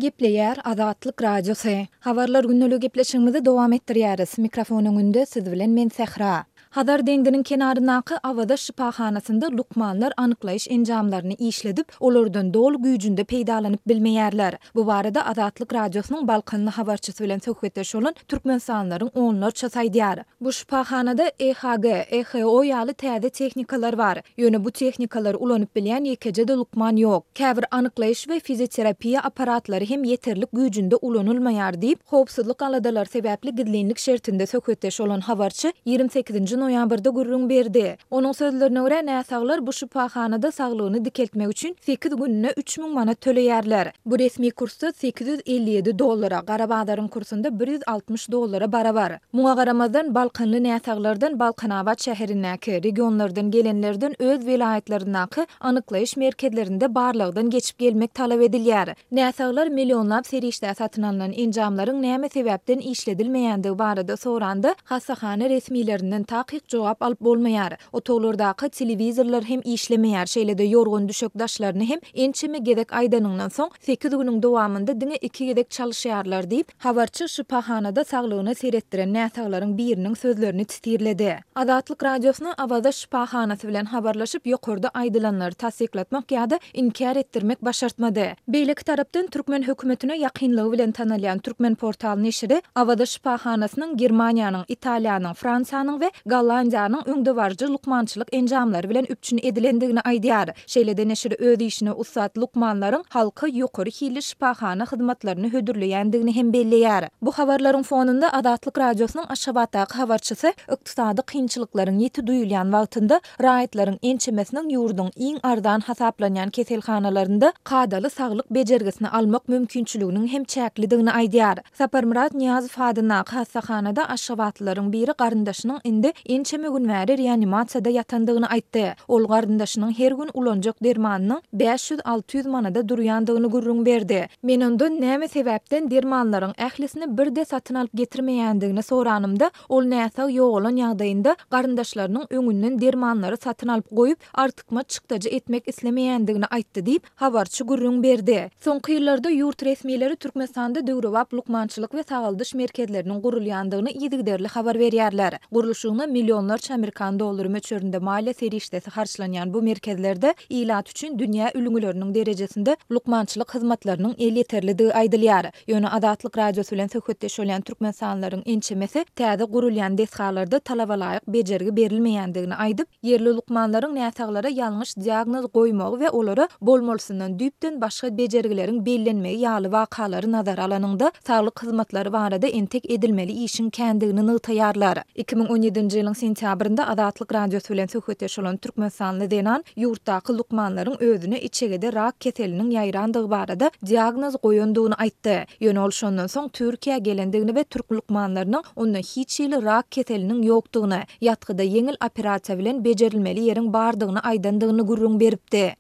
Gepleýär Azatlyk Radiosy. Habarlar gündeligi gepleşigimizi dowam etdirýäris. Mikrofon öňünde siz bilen men Sähra. Hazar deňziniň kenaryndaky Awaza şypahanasynda lukmanlar anyklaýyş enjamlaryny işledip, olardan doly güýjünde peýdalanyp bilmeýärler. Bu barada Azatlyk Radiosynyň balkanly habarçysy bilen söhbetdeş bolan türkmenistanlylaryň onlarçasy aýdýar. Bu şypahanada EHG, EHO ýaly täze tehnikalar bar. Ýöne bu tehnikalary ulanyp bilýän ýekeje-de lukman ýok. Käbir anyklaýyş we fizioterapiýa apparatlary hem ýeterlik güýjünde ulanylmaýar diýip, howpsuzlyk aladalary sebäpli gizlinlik şertinde söhbetdeş bolan habarçy 28-nji noýabrda gürrüň berdi. Onuň sözlerine görä, näsaglar bu şypahanada saglygyny dikeltmek üçin sekiz gününe 3000 manat töleýärler. Bu resmi kursda 857 dollara, gara bazaryň kursunda 160 dollara barabar. Muňa garamazdan, balkanly näsaglardan Balkanabat şäherindäki, regionlardan gelenlerden öz welaýatlaryndaky anyklaýyş merkezlerinde barlagdan geçip gelmek talap edilýär. Näsaglar millionlap serişdä satyn alnan enjamlaryň näme sebäpden işledilmeýändigi barada soranda, hassahana resmilerinden takyk jogap alyp bolmaýar. Otaglardaky telewizorlar hem işlemeýär, şeýle-de ýorgan-düşek daşlaryny hem ençeme gezek aýdanyňdan soň, sekiz günüň dowamynda diňe iki gezek çalyşýarlar diýip, Habarçy şypahanada saglygyna seretdiren näsaglaryň biriniň sözlerini titirledi. Azatlyk Radiosyna Awaza şypahanasy bilen habarlaşyp, ýokarda aýdylanlary tassyklatmak ýa-da inkär etdirmek başartmady. Beýleki tarapdan, türkmen hökümetine ýakynlygy bilen tanalýan Turkmenportal neşiri Awaza şypahanasynyň Germaniýanyň, Italiýanyň, Fransiýanyň we Gollandiýanyň öňdebaryjy lukmançylyk enjamlary bilen üpjün edilendigini aýdýar. Şeýle-de neşir öz işine ussat lukmanlaryň halka ýokary hilli şypahana hyzmatlaryny hödürleýändigini hem belleýär. Bu habarlaryň fonunda Azatlyk Radiosynyň Aşgabatdaky habarçysy ykdysady kynçylyklaryň ýiti duýulýan wagtynda raýatlaryň ençemesiniň ýurduň iň arzan hasaplanýan keselhanalarynda kadaly saglyk bejergisini almak mümkinçiliginiň hem çäklidigini aýdýar. Saparmyrat Nyýazow adyndaky hassahanada aşgabatlylaryň biri garyndaşynyň indi ençeme gün bäri reanimasiýada ýatandygyny aýtdy. Ol garyndaşynyň her gün ulanjak dermanynyň 500-600 manada durýandygyny gürrüň berdi. Men ondan näme sebäpden dermanlaryň ählisini birde satyn alyp getirmeýändigini soranymda, ol näsag ýogalan ýagdaýynda garyndaşlarynyň öňünden dermanlary satyn alyp goýup, artykmaç çykdajy etmek islemeýändigini aýtdy diýip, habarçy gürrüň berdi. Soňky ýyllarda ýurt resmileri Türkmenistanda döwrebap lukmançylyk we sagaldyş merkezleriniň gurulýandygyny yzygiderli habar berýärler. Gurluşygyna millionlarça amerikan dollary möçberinde maliýe serişdesi harçlanýan bu merkezlerde ilat üçin dünýä ülňüleriniň derejesinde lukmançylyk hyzmatlarynyň elýeterlidigi aýdylýar. Ýöne Azatlyk Radiosy bilen söhbetdeş bolýan türkmenistanlylaryň ençemesi täze gurulýan desgalarda talabalaýyk bejergi berilmeýändigini aýdyp, Ýerli lukmanlaryň näsaglara ýalňyş diagnoz goýmagy we olara bolmalysyndan düýpden başga bejergileriň bellenmegi ýaly wakalary nazara alanyňda, saglyk hyzmatlary barada entek edilmeli işiň kändigini nygtaýarlar. 2017-nji ýylyň sentýabrynda Azatlyk Radiosy bilen söhbetdeş bolan türkmenistanly zenan ýurtdaky lukmanlaryň özüne içegede rak keseliniň ýaýrandygy barada diagnoz goýandygyny aýtdy. Ýöne ol şondan soň Türkiýä gelendigini we türk lukmanlarynyň onda hiç hili rak keseliniň ýokdugyny, ýatgyda ýeňil operasiýa bilen bejerilmeli ýeriň bardygyny aýdandygyny gürrüň beripdi.